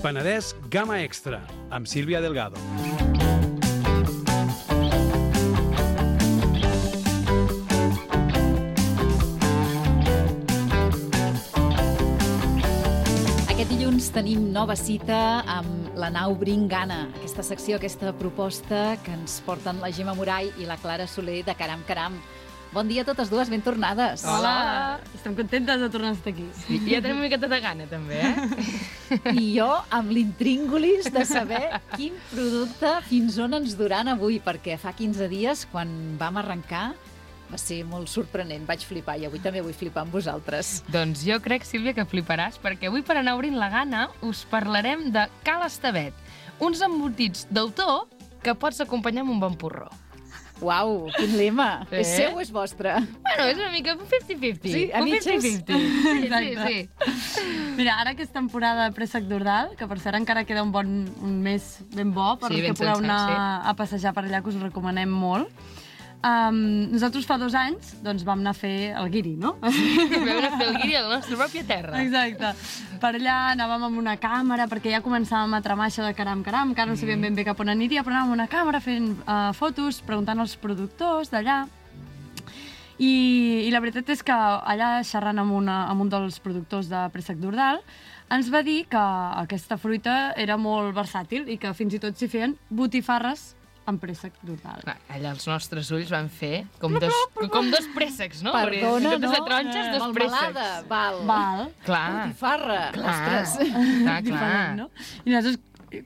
Penedès Gamma Extra, amb Sílvia Delgado. Aquest dilluns tenim nova cita amb la nau Bringana, aquesta secció, aquesta proposta que ens porten la Gemma Moray i la Clara Soler de Caram Caram. Bon dia a totes dues, ben tornades. Hola! Estem contentes de tornar a estar aquí. I ja tenim una miqueta de gana, també, I jo amb l'intríngulis de saber quin producte fins on ens duran avui, perquè fa 15 dies, quan vam arrencar, va ser molt sorprenent, vaig flipar i avui també vull flipar amb vosaltres. Doncs jo crec, Sílvia, que fliparàs, perquè avui per anar obrint la gana us parlarem de Cal Estevet, uns embotits d'autor que pots acompanyar amb un bon porró. Uau, quin lema! És seu o és vostre? Bueno, és una mica 50-50. Sí, a mitges? 50-50. Sí. Mira, ara que és temporada de préssec d'Ordal, que per cert encara queda un mes ben bo perquè pugueu anar a passejar per allà, que us ho recomanem molt. Nosaltres fa 2 anys doncs, vam anar a fer el guiri, no? Vam anar a fer el guiri a la nostra pròpia terra. Exacte. Per allà anàvem amb una càmera, perquè ja començàvem a tramar això de Caram Caram, que ara no sabíem ben bé cap on aniria, però anàvem amb una càmera fent fotos, preguntant als productors d'allà. I la veritat és que allà, xerrant amb un dels productors de préssec d'Ordal, ens va dir que aquesta fruita era molt versàtil i que fins i tot s'hi feien botifarres amb préssec d'Ordal. Allà els nostres ulls van fer com dos préssecs, no? Perdona, no? De taronges, dos préssecs. Val. Clar. Botifarra. Ostres. Clar. No? I nosaltres,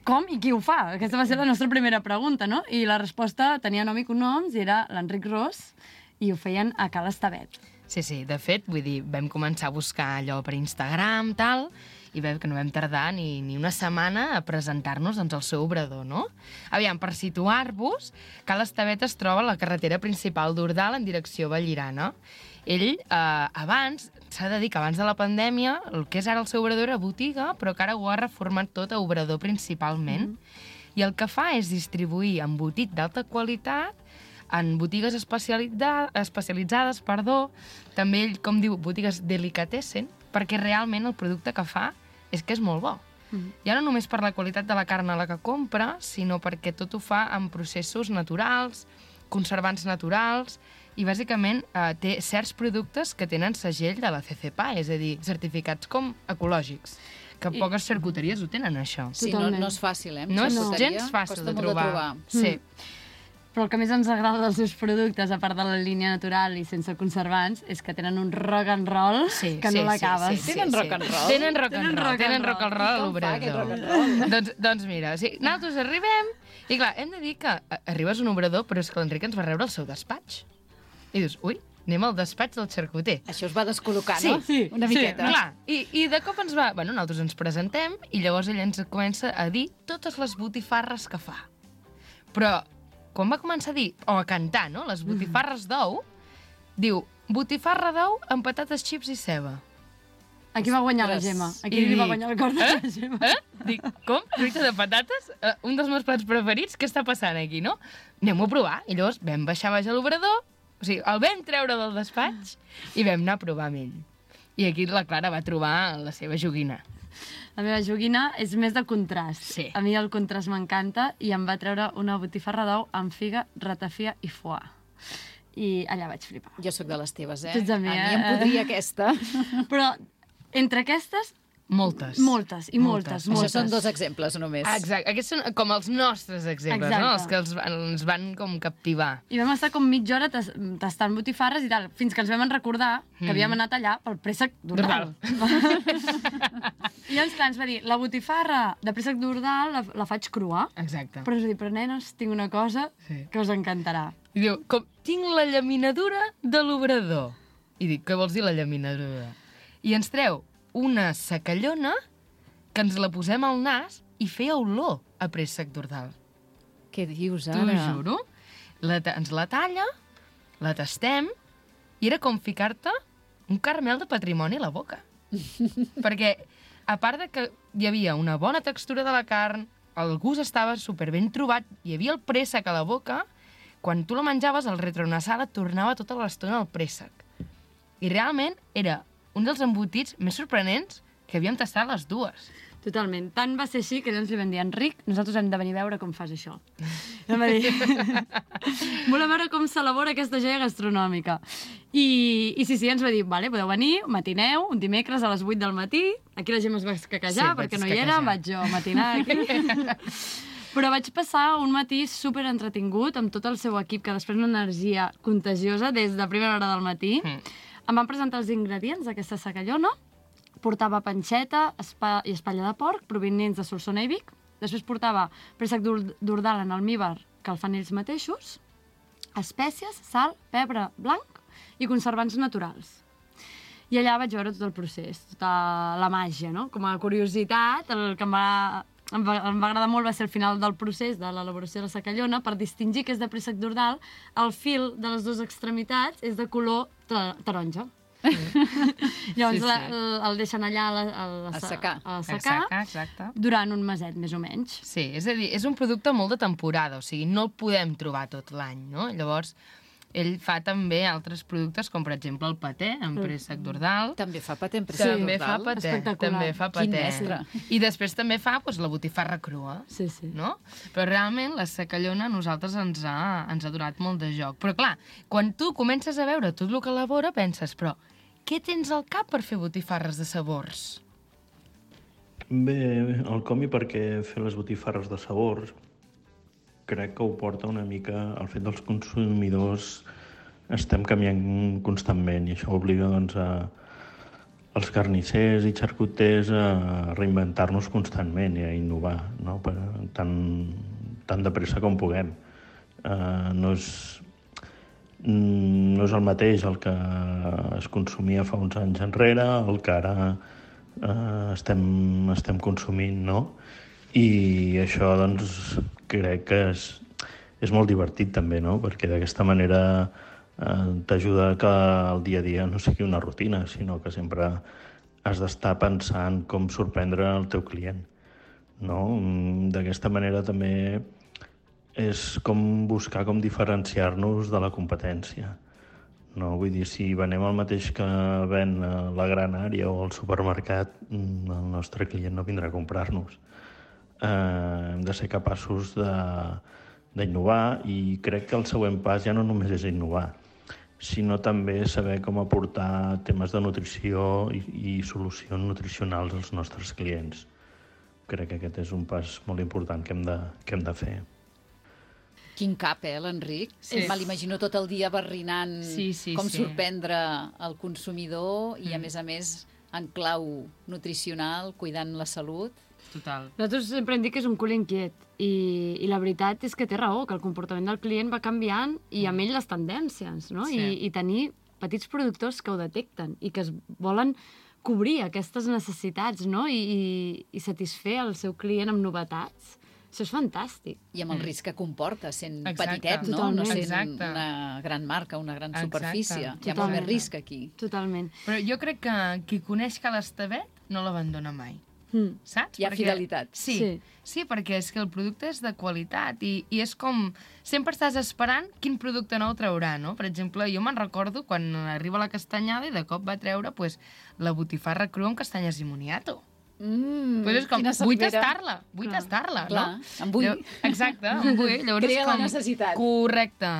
com i qui ho fa? Aquesta va ser la nostra primera pregunta, no? I la resposta tenia nom i cognoms i era l'Enric Ros i ho feien a Cal Estevet. Sí, de fet, vull dir, vam començar a buscar allò per Instagram, tal, i veiem que no vam tardar ni una setmana a presentar-nos doncs, al seu obrador, no? Aviam, per situar-vos, Cal Estevet es troba a la carretera principal d'Ordal en direcció a Vallirana. Ell, abans, s'ha de dir que abans de la pandèmia, el que és ara el seu obrador era botiga, però que ara ho ha reformat tot a obrador principalment. I el que fa és distribuir embotit d'alta qualitat en botigues especialitzades, també ell, com diu, botigues delicatessen, perquè realment el producte que fa és que és molt bo. Ja no només per la qualitat de la carn a la que compra, sinó perquè tot ho fa amb processos naturals, conservants naturals, i bàsicament té certs productes que tenen segell de la CCPA, és a dir, certificats com ecològics, que poques xarcuteries ho tenen, això. Sí, no és fàcil, No és gens fàcil de trobar. Sí. Però el que més ens agrada dels seus productes, a part de la línia natural i sense conservants, és que tenen un rock and roll que no l'acabes. Tenen rock and roll? Tenen rock and roll a l'obrador. Doncs mira, nosaltres arribem i clar, hem de dir que arribes a un obrador, però és que l'Enric ens va rebre al seu despatx. I dius, ui, anem al despatx del xarcuter. Això es va descol·locar, no? Sí, una miqueta. Clar, i de cop ens va... Bueno, nosaltres ens presentem i llavors ell ens comença a dir totes les botifarres que fa. Però quan va començar a dir, o a cantar, no?, les botifarres d'ou, diu, botifarra d'ou amb patates, xips i ceba. Aquí va guanyar la Gemma. Aquí li va guanyar el cor de la Gemma. Dic, com? Fruita de patates? Un dels meus plats preferits? Què està passant aquí, no? Anem-ho a provar. I llavors vam baixar baix a l'obrador, o sigui, el vam treure del despatx i vam anar a provar amb ell. I aquí la Clara va trobar la seva joguina. La meva joguina és més de contrast. Sí. A mi el contrast m'encanta i em va treure una botifarra d'ou amb figa, ratafia i foie. I allà vaig flipar. Jo sóc de les teves, Tu ets de mi, A mi em podria aquesta. Però entre aquestes, Moltes. moltes. Això són 2 exemples, només. Exacte. Aquests són com els nostres exemples, no? Els que ens van com captivar. I vam estar com mitja hora tastant botifarres i tal, fins que ens vam recordar que havíem anat allà pel préssec d'Ordal. I llavors, clar, ens va dir, la botifarra de préssec d'Ordal la faig crua. Exacte. Però ens va dir, però nenes, tinc una cosa que us encantarà. I diu, com, tinc la llaminadura de l'obrador. I dic, què vols dir la llaminadura? I ens treu una secallona que ens la posem al nas i feia olor a préssec d'Ordal. Què dius, ara? T'ho juro. Ens la talla, la tastem, i era com ficar-te un caramel de patrimoni a la boca. Perquè, a part de que hi havia una bona textura de la carn, el gust estava superben trobat, hi havia el préssec a la boca, quan tu la menjaves, el retronasal et tornava tota l'estona al préssec. I realment era un dels embotits més sorprenents que havíem tastat les dues. Totalment. Tant va ser així que ens li vam dir, Enric, nosaltres hem de venir a veure com fas això. I em va dir, volem veure com s'elabora aquesta joia gastronòmica. I sí, ens va dir, vale, podeu venir, matineu, un dimecres a les 8 del matí, aquí la gent es va escaquejar perquè no hi era, vaig jo matinar aquí. Però vaig passar un matí super entretingut amb tot el seu equip, que després una energia contagiosa des de primera hora del matí. Em van presentar els ingredients d'aquesta secallona. Portava panxeta i espatlla de porc provinents de Solsona i Vic. Després portava préssec d'ordal en almívar que el fan ells mateixos, espècies, sal, pebre blanc i conservants naturals. I allà vaig veure tot el procés, tota la màgia, no? Com a curiositat, el que em va agradar molt va ser el final del procés de l'elaboració de la secallona. Per distingir que és de préssec d'ordal, el fil de les dues extremitats és de color taronja. Llavors el deixen allà a secar durant un meset, més o menys. Sí, és a dir, és un producte molt de temporada, o sigui, no el podem trobar tot l'any, no? Llavors, ell fa també altres productes, com per exemple el paté, amb préssec d'ordal. També fa paté amb préssec d'ordal? També fa paté. Quin mestre. I després també fa la botifarra crua, no? Però realment la secallona a nosaltres ens ha donat molt de joc. Però clar, quan tu comences a veure tot el que elabora, penses, però què tens al cap per fer botifarres de sabors? Bé, el comi perquè fer les botifarres de sabors crec que ho porta una mica al fet dels consumidors estem canviant constantment i això obliga doncs als carnissers i xarcuters a reinventar-nos constantment i a innovar, no? Tan de pressa com puguem. No és el mateix el que es consumia fa uns anys enrere, el que ara estem consumint, no? I això, doncs, crec que és molt divertit també, no? Perquè d'aquesta manera t'ajuda que el dia a dia no sigui una rutina, sinó que sempre has d'estar pensant com sorprendre el teu client, no? D'aquesta manera també és com buscar com diferenciar-nos de la competència. No? Vull dir, si venem el mateix que ven a la gran àrea o al supermercat, el nostre client no vindrà a comprar-nos. Hem de ser capaços d'innovar i crec que el següent pas ja no només és innovar, sinó també saber com aportar temes de nutrició i solucions nutricionals als nostres clients. Crec que aquest és un pas molt important que hem de fer. Quin cap, l'Enric? Me l'imagino tot el dia barrinant com sorprendre el consumidor i, a més, en clau nutricional, cuidant la salut. Total. Nosaltres sempre hem dit que és un cul inquiet i la veritat és que té raó, que el comportament del client va canviant i amb ell les tendències, no? I tenir petits productors que ho detecten i que es volen cobrir aquestes necessitats, no? I satisfer el seu client amb novetats. Això és fantàstic. I amb el risc que comporta, sent petitet, no? No sent una gran marca, una gran superfície. Hi ha molt més risc aquí. Totalment. Però jo crec que qui coneix Ca l'Estevet no l'abandona mai. Saps? Hi ha fidelitat. Sí, perquè és que el producte és de qualitat i és com... Sempre estàs esperant quin producte nou traurà, no? Per exemple, jo me'n recordo quan arriba la castanyada i de cop va treure la botifarra crua amb castanyes i moniato. És com, vull tastar-la, no? Clar, em vull. Exacte, em vull. Crea la necessitat. Correcte.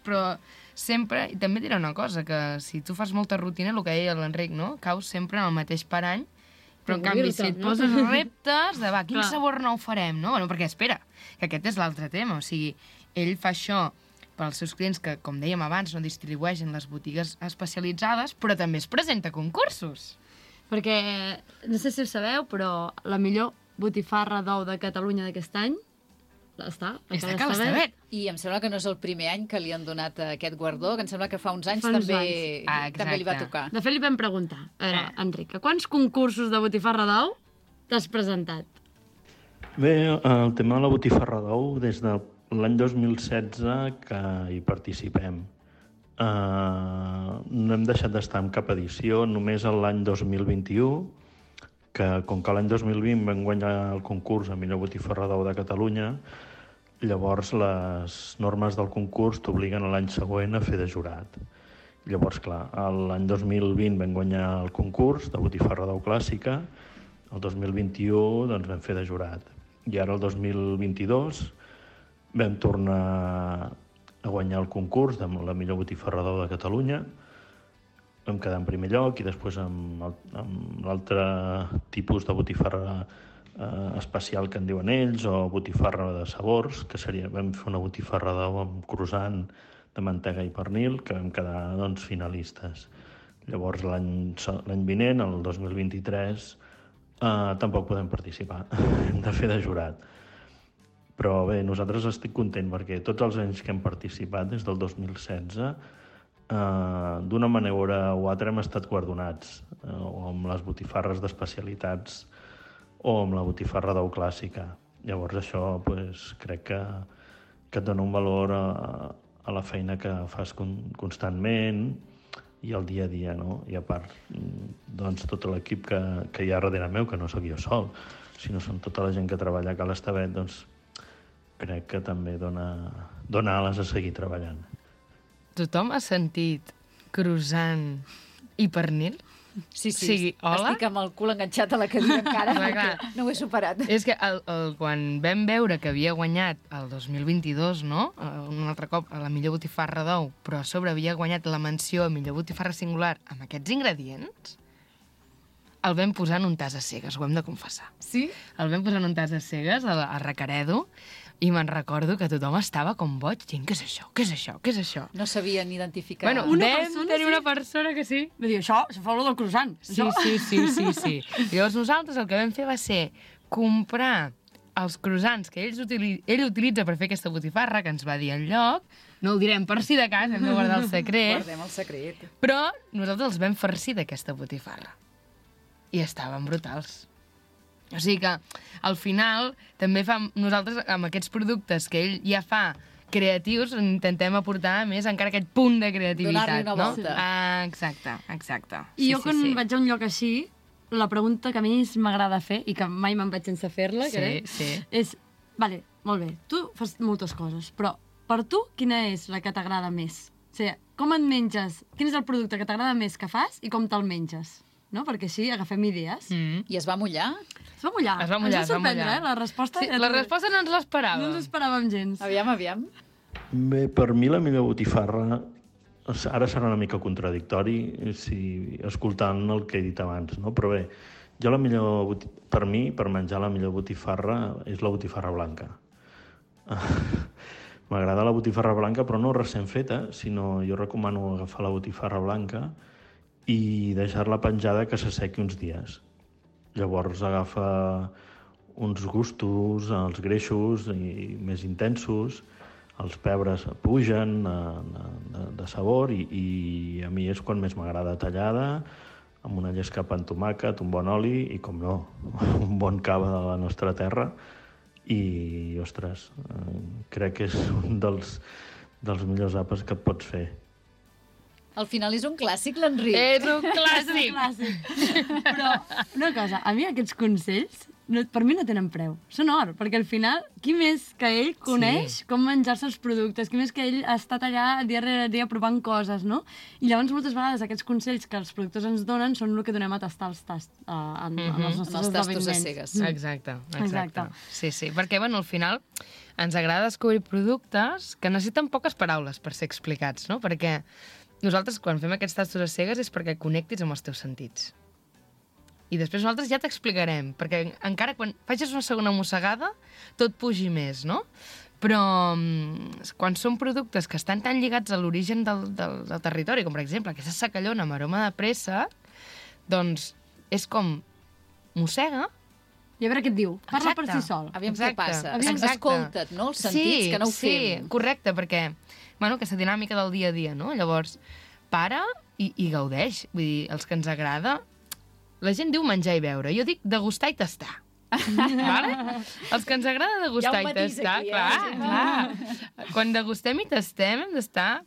Però sempre, i també diré una cosa, que si tu fas molta rutina, el que deia l'Enric, no? Caus sempre en el mateix parany, però en canvi si et poses reptes de quin sabor nou farem, no? Perquè espera, que aquest és l'altre tema, o sigui, ell fa això pels seus clients que, com dèiem abans, no distribueixen les botigues especialitzades, però també es presenta a concursos. Perquè, no sé si ho sabeu, però la millor botifarra d'ou de Catalunya d'aquest any està a Ca l'Estevet. I em sembla que no és el primer any que li han donat aquest guardó, que em sembla que fa uns anys també li va tocar. De fet, li vam preguntar, a veure, Enric, a quants concursos de botifarra d'ou t'has presentat? Bé, el tema de la botifarra d'ou, des de l'any 2016 que hi participem. No hem deixat d'estar en cap edició, només l'any 2021, que com que l'any 2020 vam guanyar el concurs a millor botifarra d'ou de Catalunya, llavors les normes del concurs t'obliguen l'any següent a fer de jurat. Llavors, clar, l'any 2020 vam guanyar el concurs de botifarra d'ou clàssica, El 2021 doncs, vam fer de jurat. I ara el 2022 vam tornar a guanyar el concurs de la millor botifarrador de Catalunya. Vam quedar en primer lloc i després amb l'altre tipus de botifarra especial que en diuen ells, o botifarra de sabors, que seria, vam fer una botifarra amb croissant de mantega i pernil, que vam quedar doncs, finalistes. Llavors l'any vinent, el 2023, tampoc podem participar, hem de fer de jurat. Però bé, nosaltres estic content perquè tots els anys que hem participat, des del 2016, d'una manera o altra hem estat guardonats, o amb les botifarres d'especialitats o amb la botifarra d'ou clàssica. Llavors això crec que et dona un valor a la feina que fas constantment i al dia a dia, no? I a part, doncs, tot l'equip que hi ha darrere meu, que no sóc jo sol, sinó són tota la gent que treballa a Ca l'Estavet, doncs crec que també dona ales a seguir treballant. Tothom ha sentit croissant i pernil? Sí, hola? Estic amb el cul enganxat a la cadira encara, perquè no ho he superat. És que quan vam veure que havia guanyat el 2022, no? Un altre cop a la millor botifarra d'ou, però a sobre havia guanyat la menció a millor botifarra singular amb aquests ingredients, el vam posar en un tas a cegues, ho hem de confessar. Sí? El vam posar en un tas a cegues, a Recaredo, i me'n recordo que tothom estava com boig, dient, què és això, què és això, què és això? No sabien identificar. Bueno, vam tenir una persona que sí. Va dir, això fa olor del croissant. Sí. Llavors nosaltres el que vam fer va ser comprar els croissants que ell utilitza per fer aquesta botifarra, que ens va dir enlloc, no ho direm per si de cas, hem de guardar el secret. Guardem el secret. Però nosaltres els vam farcir d'aquesta botifarra. I estaven brutals. O sigui que, al final, també nosaltres, amb aquests productes que ell ja fa creatius, intentem aportar més encara aquest punt de creativitat. Donar-li una volta. Exacte. I jo quan vaig a un lloc així, la pregunta que a mi m'agrada fer, i que mai me'n vaig sense fer-la, és, vale, molt bé, tu fas moltes coses, però per tu quina és la que t'agrada més? O sigui, com et menges, quin és el producte que t'agrada més que fas i com te'l menges? No? Perquè així agafem idees. I es va mullar? Es va mullar. Ens va sorprendre, la resposta. Sí, la resposta no ens l'esperàvem. No ens l'esperàvem gens. Aviam. Bé, per mi la millor botifarra, ara serà una mica contradictori escoltant el que he dit abans, no? Però bé, per mi, per menjar la millor botifarra, és la botifarra blanca. M'agrada la botifarra blanca, però no recent feta, sinó jo recomano agafar la botifarra blanca i deixar-la penjada que s'assequi uns dies. Llavors agafa uns gustos, els greixos i més intensos, els pebres pugen de sabor i a mi és quan més m'agrada tallada, amb una llescapa amb tomàquet, un bon oli i, com no, un bon cava de la nostra terra. I, ostres, crec que és un dels millors àpats que et pots fer. Al final és un clàssic, l'Enric. És un clàssic. Però, una cosa, a mi aquests consells, per mi no tenen preu. Són or, perquè al final, qui més que ell coneix com menjar-se els productes, qui més que ell ha estat allà dia rere dia provant coses, no? I llavors moltes vegades aquests consells que els productors ens donen són el que donem a tastar els tasts en els nostres esdeveniments. Tastos a cegues. Exacte. Sí, perquè, bueno, al final ens agrada descobrir productes que necessiten poques paraules per ser explicats, no? Perquè nosaltres, quan fem aquests tastos a cegues, és perquè connectis amb els teus sentits. I després nosaltres ja t'explicarem, perquè encara quan facis una segona mossegada, tot pugi més, no? Però quan són productes que estan tan lligats a l'origen del territori, com per exemple aquesta secallona amb aroma de préssec, doncs és com mossega. I a veure què et diu. Parla per si sol. Aviam què passa. Escolta't, no? Els sentits, que no ho fem. Sí, correcte, perquè aquesta dinàmica del dia a dia, no? Llavors, para i gaudeix. Vull dir, els que ens agrada... La gent diu menjar i beure. Jo dic degustar i tastar. Vale? Els que ens agrada degustar i tastar... Clar. Quan degustem i tastem hem d'estar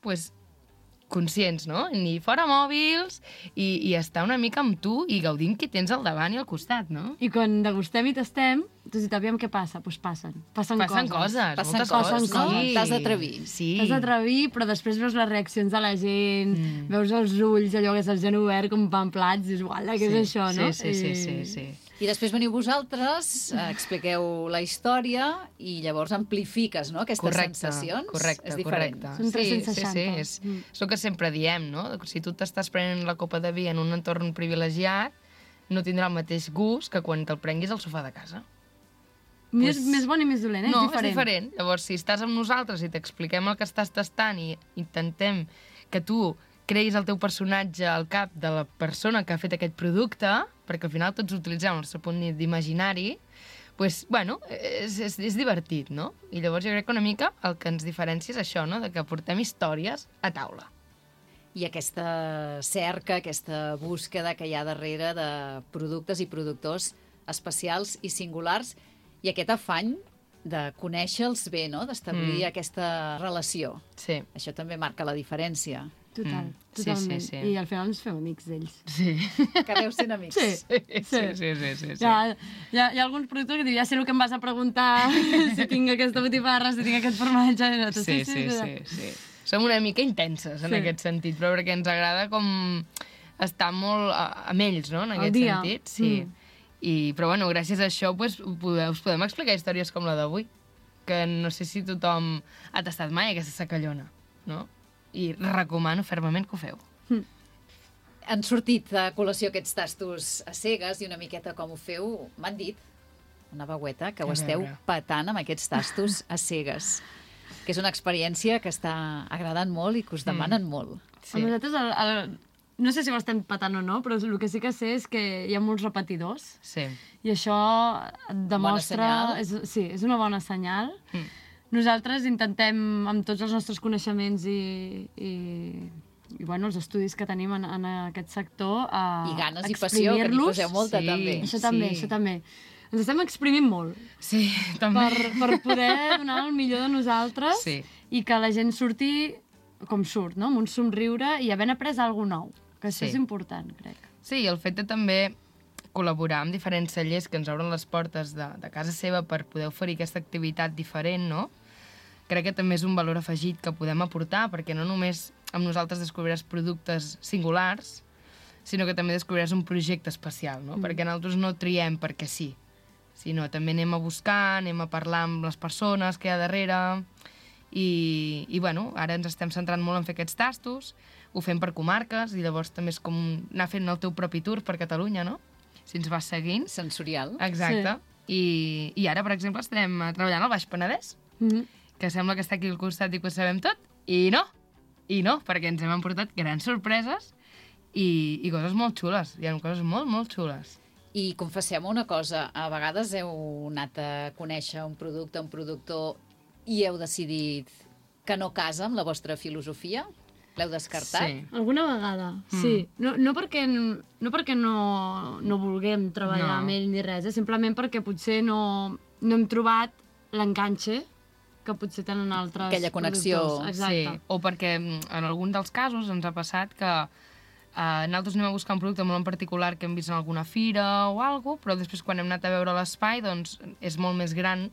conscients, no? Ni fora mòbils i estar una mica amb tu i gaudint qui tens al davant i al costat, no? I quan degustem i tastem, tu dius, aviam què passa? Doncs passen coses. Passen coses, no? T'has d'atrevir. Sí. T'has d'atrevir, però després veus les reaccions de la gent, veus els ulls, allò que és el gent obert, com pan plats, dius, uala, què és això, no? Sí. I després veniu vosaltres, expliqueu la història i llavors amplifiques, no?, aquestes sensacions. És diferent. Són 360. Sí. És el que sempre diem, no? Si tu t'estàs prenent la copa de vi en un entorn privilegiat, no tindrà el mateix gust que quan te'l prenguis al sofà de casa. Més bon i més dolent, No, és diferent. Llavors, si estàs amb nosaltres i t'expliquem el que estàs tastant i intentem que tu creïs el teu personatge al cap de la persona que ha fet aquest producte, perquè al final tots utilitzem el nostre punt d'imaginari, doncs, bueno, és divertit, no? I llavors jo crec que una mica el que ens diferencia és això, no?, de que portem històries a taula. I aquesta cerca, aquesta búsqueda que hi ha darrere de productes i productors especials i singulars i aquest afany de conèixer-los bé, no?, d'establir aquesta relació. Sí. Això també marca la diferència. Totalment. Sí. I al final ens fem amics d'ells. Sí. Acabeu sent amics. Sí. Hi ha alguns productors que diuen, ja sé el que em vas a preguntar, si tinc aquesta botifarra, si tinc aquest formatge... Sí. Som una mica intenses en aquest sentit, però perquè ens agrada com estar molt amb ells, no?, en aquest sentit. Sí. Però bueno, gràcies a això us podem explicar històries com la d'avui, que no sé si tothom ha tastat mai aquesta sacallona, no? I recomano fermament que ho feu. Han sortit a col·lació aquests tastos a cegues i una miqueta com ho feu, m'han dit, una veueta, que ho esteu petant amb aquests tastos a cegues, que és una experiència que està agradant molt i que us demanen molt. Sí. Nosaltres, no sé si ho estem patant o no, però el que sí que sé és que hi ha molts repetidors. Sí. I això demostra... És una bona senyal. Nosaltres intentem, amb tots els nostres coneixements i bueno, els estudis que tenim en aquest sector, i ganes i passió, que n'hi poseu molta, també. Això també. Ens estem exprimint molt. Sí, també. Per poder donar el millor de nosaltres i que la gent surti com surt, no?, amb un somriure i havent après alguna cosa nou, que això és important, crec. Sí, i el fet de també col·laborar amb diferents cellers que ens obren les portes de casa seva per poder oferir aquesta activitat diferent, no?, crec que també és un valor afegit que podem aportar, perquè no només amb nosaltres descobriràs productes singulars, sinó que també descobriràs un projecte especial, no? Perquè nosaltres no triem perquè sí, sinó també anem a buscar, anem a parlar amb les persones que hi ha darrere, i bueno, ara ens estem centrant molt en fer aquests tastos, ho fem per comarques, i llavors també és com anar fent el teu propi tour per Catalunya, no? Si ens vas seguint. Sensorial. Exacte. Sí. I ara, per exemple, estem treballant al Baix Penedès, que sembla que està aquí al costat i que ho sabem tot, i no, perquè ens hem emportat grans sorpreses i coses molt xules. Hi ha coses molt, molt xules. I confessem una cosa, a vegades heu anat a conèixer un producte, un productor, i heu decidit que no casa amb la vostra filosofia? L'heu descartat? Sí. Alguna vegada, sí. No perquè no vulguem treballar amb ell ni res, simplement perquè potser no hem trobat l'enganxe que potser tenen altres aquella connexió. Exacte. Sí, o perquè en algun dels casos ens ha passat que nosaltres anem a buscar un producte molt en particular que hem vist en alguna fira o alguna cosa, però després quan hem anat a veure l'espai doncs és molt més gran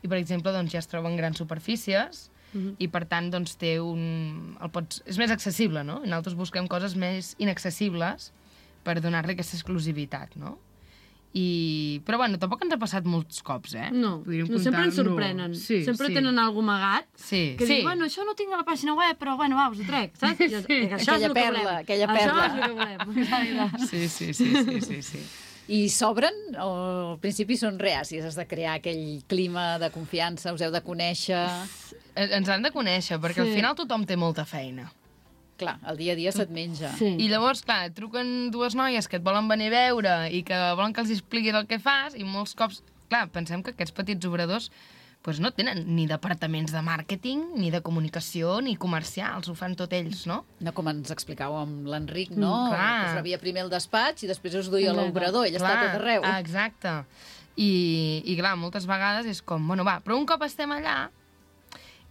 i, per exemple, doncs, ja es troben grans superfícies i, per tant, doncs, és més accessible, no? I nosaltres busquem coses més inaccessibles per donar-li aquesta exclusivitat, no? Però, bueno, tampoc ens ha passat molts cops, eh? No, sempre ens sorprenen. Sempre tenen alguna amagat que diu, bueno, això no tinc a la pàgina web, però, bueno, va, us ho trec, saps? Aquella perla. Això és el que volem. Sí. I s'obren o al principi són reàcies? Has de crear aquell clima de confiança, us heu de conèixer... Ens han de conèixer, perquè al final tothom té molta feina. Clar, el dia a dia se't menja. Sí. I llavors, clar, truquen dues noies que et volen venir a veure i que volen que els expliquis el que fas i molts cops, clar, pensem que aquests petits obradors doncs no tenen ni departaments de màrqueting, ni de comunicació, ni comercials, ho fan tot ells, no? No com ens explicàveu amb l'Enric, no? Clar. Que us rebia primer el despatx i després us duia l'obrador, ell està tot arreu. Exacte. I clar, moltes vegades és com, bueno, va, però un cop estem allà,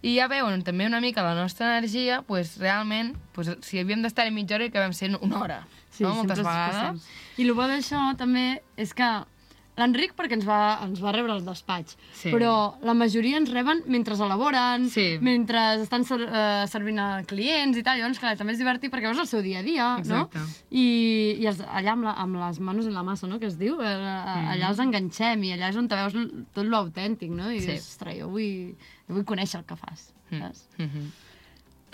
i ja veuen també una mica la nostra energia, doncs realment, si havíem d'estar-hi mitja hora i acabem sent una hora, no? Moltes vegades. I el bo d'això també és que l'Enric perquè ens va rebre al despatx, però la majoria ens reben mentre elaboren, mentre estan servint a clients i tal, llavors clar, també és divertit perquè veus el seu dia a dia, no? I allà amb les manos en la massa, no?, que es diu, allà els enganxem i allà és on te veus tot l'autèntic, no? I dius, ostres, jo vull conèixer el que fas, saps?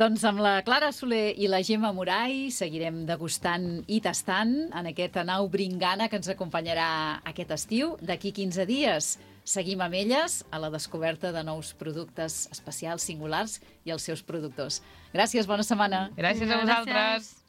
Doncs amb la Clara Soler i la Gemma Moray seguirem degustant i tastant en aquest Anau Bringana que ens acompanyarà aquest estiu. D'aquí 15 dies seguim amb elles a la descoberta de nous productes especials, singulars i els seus productors. Gràcies, bona setmana. Gràcies a vosaltres.